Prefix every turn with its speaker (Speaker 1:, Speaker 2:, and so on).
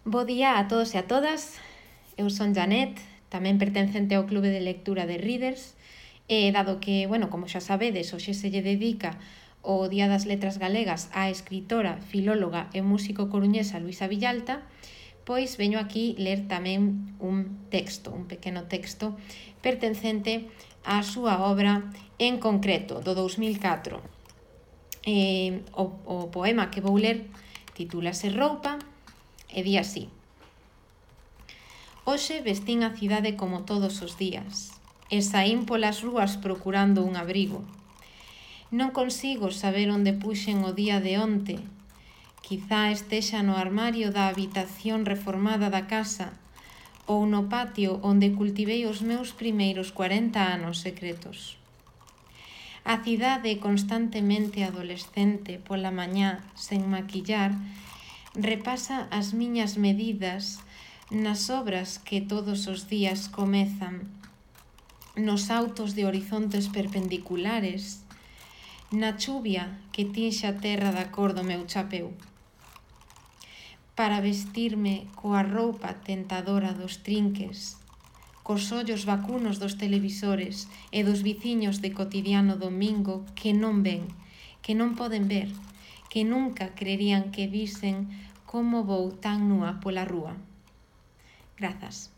Speaker 1: Bo día a todos e a todas. Eu son Janet, tamén pertencente ao Clube de Lectura de Readers, e dado que, como xa sabedes, hoxe se lle dedica o Día das Letras Galegas á escritora, filóloga e músico coruñesa Luisa Villalta, pois veño aquí ler tamén un pequeno texto, pertencente á súa obra en concreto, do 2004. O poema que vou ler titúlase Roupa, e di así: Hoxe vestín a cidade como todos os días, e saín polas rúas procurando un abrigo. Non consigo saber onde puxen o día de onte. Quizá estexa no armario da habitación reformada da casa ou no patio onde cultivei os meus primeiros 40 anos secretos. A cidade constantemente adolescente pola mañá, sen maquillar, repasa as miñas medidas nas obras que todos os días comezan, nos autos de horizontes perpendiculares, na chuvia que tinxe a terra da cor do meu chapeu. Para vestirme coa roupa tentadora dos trinques, cos ollos vacunos dos televisores e dos viciños de cotidiano domingo que non ven, que non poden ver, que nunca creerían que visen como vou tan nua pola rúa. Grazas.